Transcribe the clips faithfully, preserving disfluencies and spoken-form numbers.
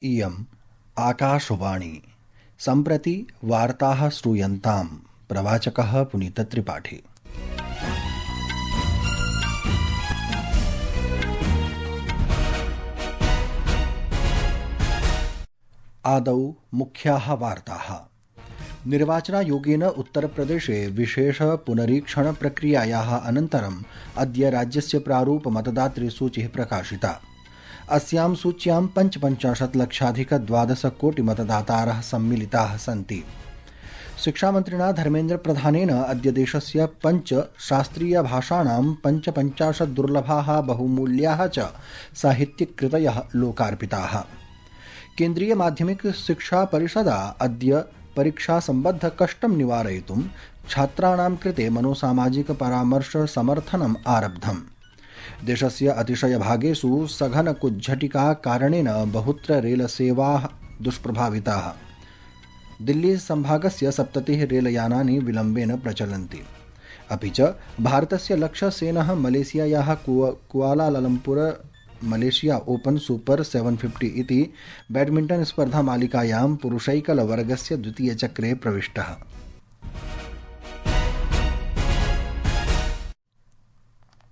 इयम् आकाशवाणी। सम्प्रति वार्ताः श्रूयन्ताम्। प्रवाचकः पुनीतत्रिपाठी। आदौ मुख्याः वार्ताः। निर्वाचनायोगेन उत्तरप्रदेशे विशेष पुनरीक्षण प्रक्रियायाः अनन्तरम् अद्य राज्यस्य प्रारूप मतदातृसूचिः प्रकाशिता। अस्यां सूच्यां पञ्चपञ्चाशत् लक्षाधिक द्वादश कोटि मतदातारः सम्मिलिताः सन्ति। शिक्षामन्त्रिणा धर्मेन्द्र प्रधानेन अद्य देशस्य पञ्च शास्त्रीयभाषाणां पञ्चपञ्चाशत् दुर्लभाः बहुमूल्याः च साहित्यिककृतयः लोकार्पिताः। केन्द्रीय माध्यमिक शिक्षा परिषदा अद्य परीक्षासम्बद्धकष्टं निवारयितुं छात्राणां कृते मनोसामाजिक परामर्श समर्थनम् आरब्धम्। देशस्य अतिशयभागेषु सघनकुज्झटिका कारणेन बहुत्र रेलसेवाः दुष्प्रभाविताः। दिल्ली संभागस्य सप्ततिः रेलयानानि विलम्बेन प्रचलन्ति। अपि च भारतस्य लक्ष्यसेनः मलेशियायाः कुआलालम्पुर मलेशिया ओपन सुपर सेवन फिफ्टी इति बैडमिण्टन स्पर्धा मालिकायां पुरुषैकलवर्गस्य द्वितीयचक्रे प्रविष्टः।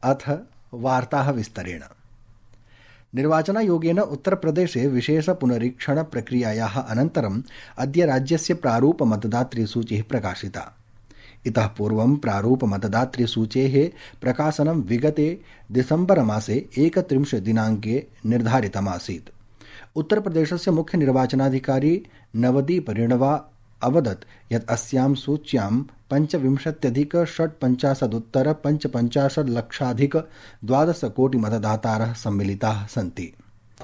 अथ वार्ताः विस्तरेण। निर्वाचनायोगेन उत्तरप्रदेशे विशेष पुनरीक्षण प्रक्रियायाः अनन्तरम् अद्य राज्यस्य प्रारूप मतदातृसूचिः प्रकाशिता। इतः पूर्वं प्रारूप मतदातृसूचेः प्रकाशनं विगते दिसम्बर मासे एकत्रिंशत् दिनाङ्के निर्धारितमासीत्। उत्तरप्रदेशस्य मुख्य निर्वाचनाधिकारी नवदीप ऋणवा अवदत् यत् अस्यां सूच्यां पञ्चविंशत्यधिक षट्पञ्चाशदुत्तर पञ्चपञ्चाशत् लक्षाधिक द्वादश कोटि मतदातारः सम्मिलिताः सन्ति।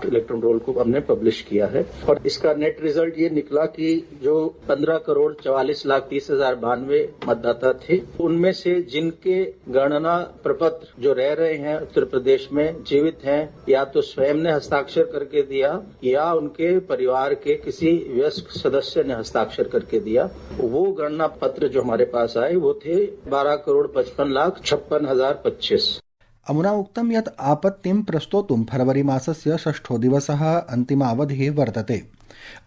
इलेक्ट्रल रोल को हमने पब्लिश किया है और इसका नेट रिजल्ट ये निकला कि जो पंद्रह करोड़ चवालीस लाख तीस हजार बानवे मतदाता थे, उनमें से जिनके गणना प्रपत्र जो रह रहे हैं उत्तर प्रदेश में जीवित हैं, या तो स्वयं ने हस्ताक्षर करके दिया या उनके परिवार के किसी वयस्क सदस्य ने हस्ताक्षर करके दिया, वो गणना पत्र जो हमारे पास आए वो थे बारह करोड़ पचपन लाख छप्पन हजार पच्चीस। अमुना उक्तं यत् आपत्तिं प्रस्तोतुं फरवरी मासस्य षष्ठो दिवसः अन्तिमावधिः वर्तते।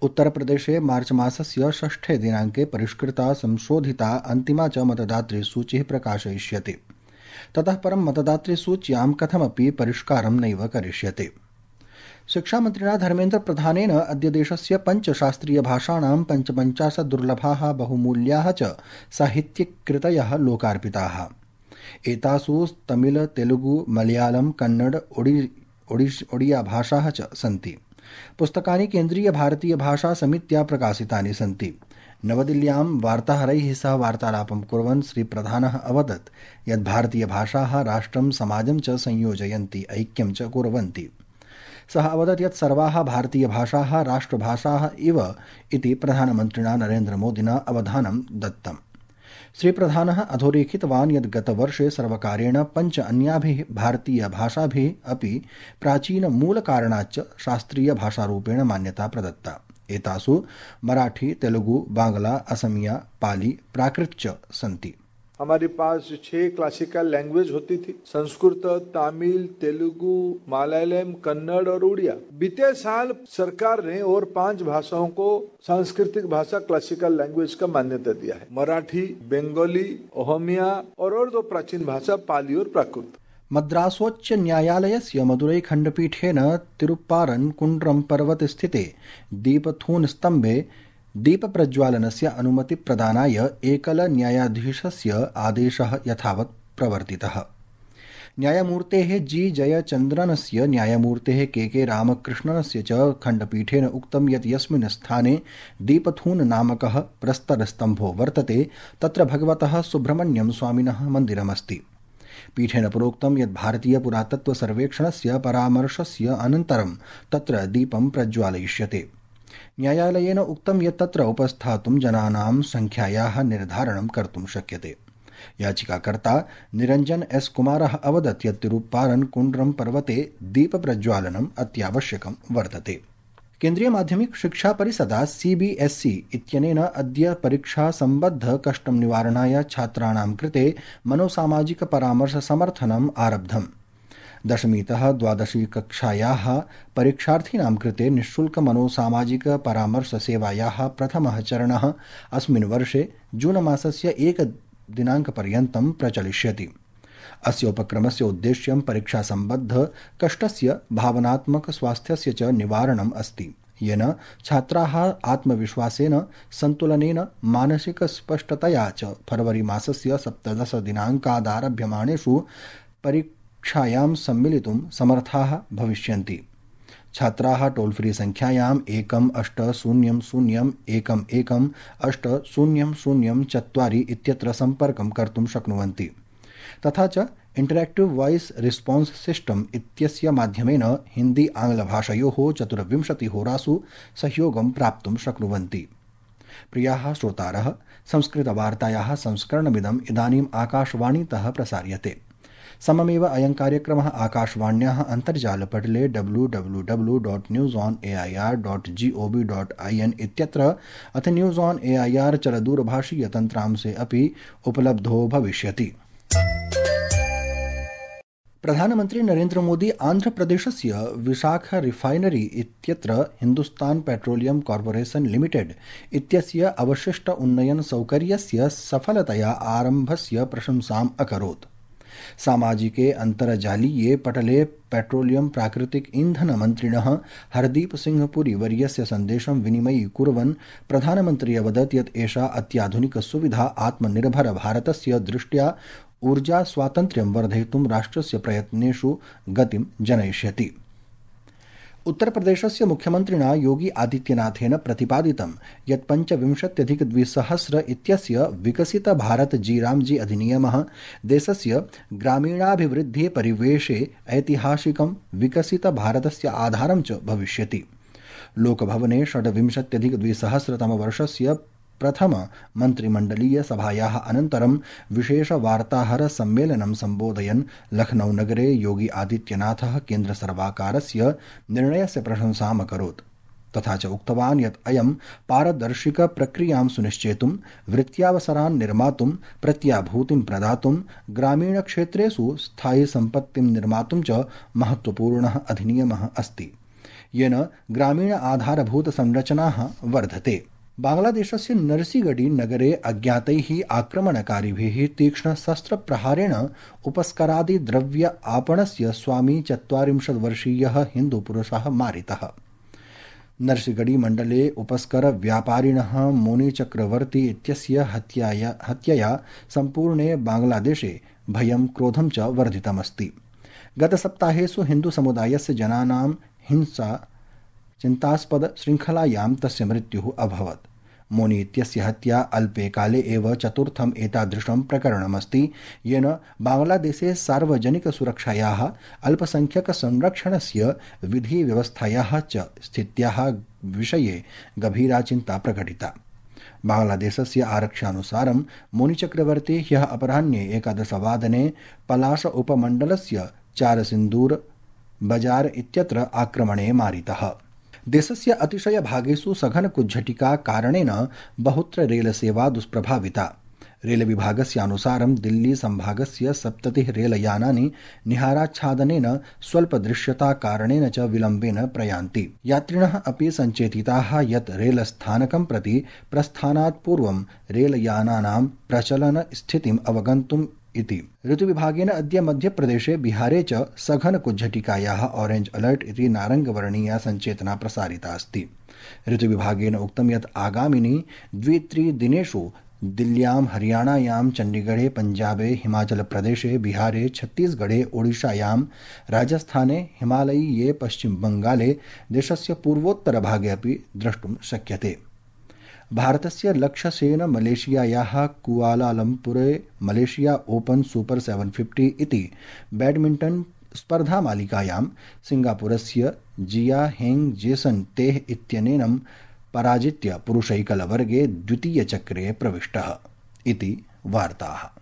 उत्तरप्रदेशे मार्च मासस्य षष्ठे दिनाङ्के परिष्कृता संशोधिता अन्तिमा च मतदातृसूचिः प्रकाशयिष्यते। ततः परं मतदातृसूच्यां कथमपि परिष्कारं नैव करिष्यते। शिक्षामन्त्रिणा धर्मेन्द्र प्रधानेन अद्य देशस्य पञ्चशास्त्रीयभाषाणां पञ्चपञ्चाशत् दुर्लभाः बहुमूल्याः च साहित्यिककृतयः लोकार्पिताः। एतासु तमिल तेलुगु मलयालम कन्नड ओडि ओडिश ओडिया भाषाः च सन्ति। पुस्तकानि केन्द्रीय भारतीय भाषा समित्या प्रकाशितानि सन्ति। नवदिल्ल्यां वार्ताहरैः सह वार्तालापं कुर्वन् श्रीप्रधानः अवदत् यत् भारतीयभाषाः राष्ट्रं समाजं च संयोजयन्ति, ऐक्यं च कुर्वन्ति। सः अवदत् यत् सर्वाः भारतीयभाषाः राष्ट्रभाषाः इव इति प्रधानमन्त्रिणा नरेन्द्रमोदिना अवधानं दत्तम्। श्रीप्रधानः अधोरेखितवान् यत् गतवर्षे सर्वकारेण पञ्च अन्याभिः भारतीयभाषाभिः अपि प्राचीनमूलकारणाच्च शास्त्रीयभाषारूपेण मान्यता प्रदत्ता। एतासु मराठी, तेलुगु, बांग्ला, असमिया, पाली, प्राकृत च सन्ति। हमारे पास छह क्लासिकल लैंग्वेज होती थी, संस्कृत, तमिल, तेलुगु, मलयालम, कन्नड़ और उड़िया। बीते साल सरकार ने और पांच भाषाओं को सांस्कृतिक भाषा क्लासिकल लैंग्वेज का मान्यता दिया है। मराठी, बंगाली, ओहमिया और और दो प्राचीन भाषा पाली और प्राकृत। मद्रासोच्च न्यायालयस्य मदुरै खण्डपीठेन तिरुप्पारन् कुण्ड्रं पर्वतस्थिते दीपथून स्तम्भे दीपप्रज्वालनस्य अनुमतिप्रदानाय एकल न्यायाधीशस्य आदेशः यथावत् प्रवर्तितः। न्यायमूर्तेः जी जयचन्द्रनस्य न्यायमूर्तेः के के रामकृष्णनस्य च खण्डपीठेन उक्तं यत् यस्मिन् स्थाने दीपथून नामकः प्रस्तरस्तम्भो वर्तते तत्र भगवतः सुब्रह्मण्यं स्वामिनः मन्दिरमस्ति। पीठेन प्रोक्तं यत् भारतीय पुरातत्व सर्वेक्षणस्य परामर्शस्य अनन्तरं तत्र दीपं प्रज्वालयिष्यते। न्यायालयेन उक्तं यत् तत्र उपस्थातुं जनानां संख्यायाः निर्धारणं कर्तुं शक्यते। याचिकाकर्ता निरञ्जन एस कुमारः अवदत् यत् तिरुप्पारन् कुण्ड्रं पर्वते दीपप्रज्वालनम् अत्यावश्यकं वर्तते। केन्द्रीय माध्यमिक शिक्षा परिषदा सीबीएसई इत्यनेन अद्य परीक्षा सम्बद्ध कष्टं निवारणाय छात्राणां कृते मनोसामाजिक परामर्श समर्थनम् आरब्धम्। दशमीतः द्वादशी कक्षायाः परीक्षार्थीनां कृते निःशुल्क मनोसामाजिक परामर्शसेवायाः प्रथमः चरणः अस्मिन् वर्षे जून मासस्य एकदिनाङ्कपर्यन्तं प्रचलिष्यति। अस्य उपक्रमस्य उद्देश्यं परीक्षासम्बद्ध कष्टस्य भावनात्मक स्वास्थ्यस्य च निवारणम् अस्ति, येन छात्राः आत्मविश्वासेन, सन्तुलनेन, मानसिकस्पष्टतया च फरवरी मासस्य सप्तदश दिनाङ्कादारभ्यमाणेषु परीक्षायां सम्मिलितुं समर्थाः भविष्यन्ति। छात्राः टोल फ्री संख्यायाम् एकम् अष्ट शून्यं शून्यम् एकम् एकम् अष्ट शून्यं शून्यं चत्वारि इत्यत्र सम्पर्कं कर्तुं शक्नुवन्ति। तथा च इंटरेक्टिव वॉइस रिस्पॉन्स सिस्टम इत्यस्य माध्यमेन हिंदी आंग्लभाषयोः चतुर्विंशतिहोरासु सहयोगं प्राप्तुं शक्नुवन्ति। प्रियाः श्रोतारः, संस्कृतवार्तायाः संस्करणमिदम् इदानीम् आकाशवाणीतः प्रसार्यते। सममेव अयं कार्यक्रमः आकाशवाण्याः अन्तर्जालपटले W W W dot news on A I R dot G O V dot I N इत्यत्र अथ news on A I R चलदूरभाषीय तन्त्रांशे अपि उपलब्धो भविष्यति। प्रधानमन्त्री नरेन्द्र मोदी आन्ध्रप्रदेशस्य विशाख रिफाइनरी इत्यत्र हिन्दुस्तान पेट्रोलियम कॉर्पोरेशन लिमिटेड इत्यस्य अवशिष्ट उन्नयन सौकर्यस्य सफलतया आरम्भस्य प्रशंसाम् अकरोत्। सामाजिके अन्तर्जालीये पटले पेट्रोलियम प्राकृतिक ईंधन मन्त्रिणः हरदीप सिंह पुरी वर्यस्य सन्देशं विनिमयी कुर्वन् प्रधानमन्त्री अवदत् यत् एषा अत्याधुनिक सुविधा आत्मनिर्भर भारतस्य दृष्ट्या ऊर्जा स्वातन्त्र्यं वर्धयितुं राष्ट्रस्य प्रयत्नेषु गतिं जनयिष्यति। उत्तरप्रदेशस्य मुख्यमन्त्रिणा योगी आदित्यनाथेन प्रतिपादितं यत् पञ्चविंशत्यधिकद्विसहस्र इत्यस्य विकसित भारत जी रामजी अधिनियमः देशस्य ग्रामीणाभिवृद्धेः परिवेशे ऐतिहासिकं विकसित भारतस्य आधारं च भविष्यति। लोकभवने षड्विंशत्यधिकद्विसहस्रतमवर्षस्य प्रथम मन्त्रिमण्डलीय सभायाः अनन्तरं विशेष वार्ताहर सम्मेलनं सम्बोधयन् लखनऊ नगरे योगी आदित्यनाथः केन्द्रसर्वकारस्य निर्णयस्य प्रशंसाम् अकरोत्। तथा च उक्तवान् यत् अयं पारदर्शिक प्रक्रियां सुनिश्चेतुं, वृत्त्यावसरान् निर्मातुं, प्रत्याभूतिं प्रदातुं, ग्रामीणक्षेत्रेषु स्थायि सम्पत्तिं निर्मातुं च महत्वपूर्णः अधिनियमः अस्ति, येन ग्रामीण आधारभूत संरचनाः वर्धते। बांग्लादेशस्य नरसिगडी नगरे अज्ञातैः आक्रमणकारिभिः तीक्ष्णशस्त्रप्रहारेण उपस्करादि द्रव्य आपणस्य स्वामी चत्वारिंशत् वर्षीयः हिन्दुपुरुषः मारितः। नरसिगडी मण्डले उपस्कर व्यापारिणः मोनी चक्रवर्ती इत्यस्य हत्याया हत्यया सम्पूर्णे बांग्लादेशे भयं क्रोधं च वर्धितमस्ति। गतसप्ताहेषु हिन्दुसमुदायस्य जनानां हिंसा चिन्तास्पद श्रृङ्खलायां तस्य मृत्युः अभवत्। मोनी इत्यस्य हत्या अल्पे काले एव चतुर्थम् एतादृशं प्रकरणमस्ति, येन बांग्लादेशे सार्वजनिकसुरक्षायाः, अल्पसंख्यकसंरक्षणस्य, विधिव्यवस्थायाः च स्थित्याः विषये गभीरा चिन्ता प्रकटिता। बांग्लादेशस्य आरक्षानुसारं मोनी चक्रवर्ती ह्यः अपराह्ने एकादशवादने पलाश उपमण्डलस्य चारसिन्दूर बाजार इत्यत्र आक्रमणे मारितः। देशस्य अतिशय भागेषु सघन कुज्झटिका कारणेन बहुत्र रेलसेवा दुष्प्रभाविता। रेलविभागस्य अनुसारं दिल्ली संभागस्य सप्ततिः रेलयानानि निहाराच्छादनेन, स्वल्पदृश्यता कारणेन च विलम्बेन प्रयान्ति। यात्रिणः अपि सञ्चेतिताः यत् रेलस्थानकं प्रति प्रस्थानात् पूर्वं रेलयानानां प्रचलन स्थितिम् अवगन्तुम् इति। ऋतुविभागेन अद्य मध्यप्रदेशे, बिहारे च सघन कुज्झटिकायाः ऑरेंज अलर्ट इति नारङ्गवर्णीया सञ्चेतना प्रसारिता अस्ति। ऋतुविभागेन उक्तं यत् आगामिनि द्वित्रिदिनेषु दिल्ल्यां, हरियाणायां, चण्डीगढे, पञ्जाबे, हिमाचलप्रदेशे, बिहारे, छत्तीसगढे, ओडिशायां, राजस्थाने, हिमालयीये पश्चिमबङ्गाले, देशस्य पूर्वोत्तरभागे अपि द्रष्टुं शक्यते। भारतस्य लक्ष्यसेन मलेशियायाः कुआलालम्पुरे मलेशिया ओपन सुपर सेवन फिफ्टी इति बैडमिण्टन् स्पर्धामालिकायां सिंगापुरस्य जिया हेंग जेसन तेह इत्यनेन पराजित्य पुरुषैकलवर्गे द्वितीयचक्रे प्रविष्टः इति वार्ताः।